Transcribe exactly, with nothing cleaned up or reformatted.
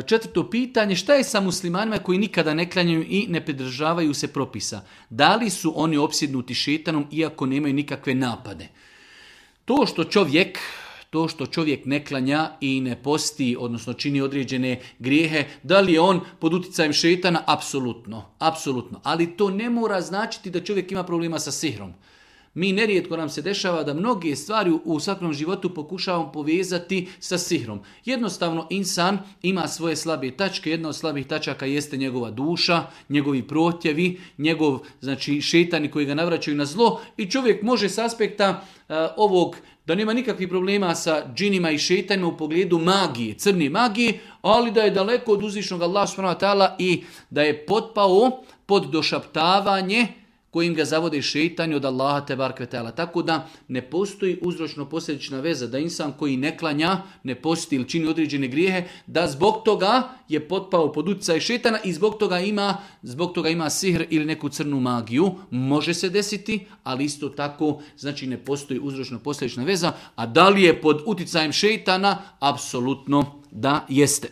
Četvrto pitanje, šta je sa muslimanima koji nikada ne klanjaju i ne pridržavaju se propisa? Da li su oni opsjednuti šejtanom iako nemaju nikakve napade? To što čovjek, to što čovjek ne klanja i ne posti, odnosno čini određene grijehe, da li je on pod utjecajem šejtana? Apsolutno, apsolutno. Ali to ne mora značiti da čovjek ima problema sa sihrom. Mi nerijetko nam se dešava da mnoge stvari u svakom životu pokušavamo povezati sa sihrom. Jednostavno insan ima svoje slabe tačke, jedna od slabih tačaka jeste njegova duša, njegovi protjevi, njegov znači šejtani koji ga navraćaju na zlo i čovjek može s aspekta uh, ovog da nema nikakvih problema sa džinima i šejtanima u pogledu magije, crne magije, ali da je daleko od uzvišnog Allaha subhanahu wa ta'ala i da je potpao pod došaptavanje kojim ga zavode šejtani od Allaha tebareke ve taala. Tako da ne postoji uzročno-posljedična veza da insan koji ne klanja, ne posti ili čini određene grijehe, da zbog toga je potpao pod utjecaj šejtana i zbog toga ima, zbog toga ima sihr ili neku crnu magiju. Može se desiti, ali isto tako znači ne postoji uzročno-posljedična veza. A da li je pod utjecajem šejtana? Apsolutno da jeste.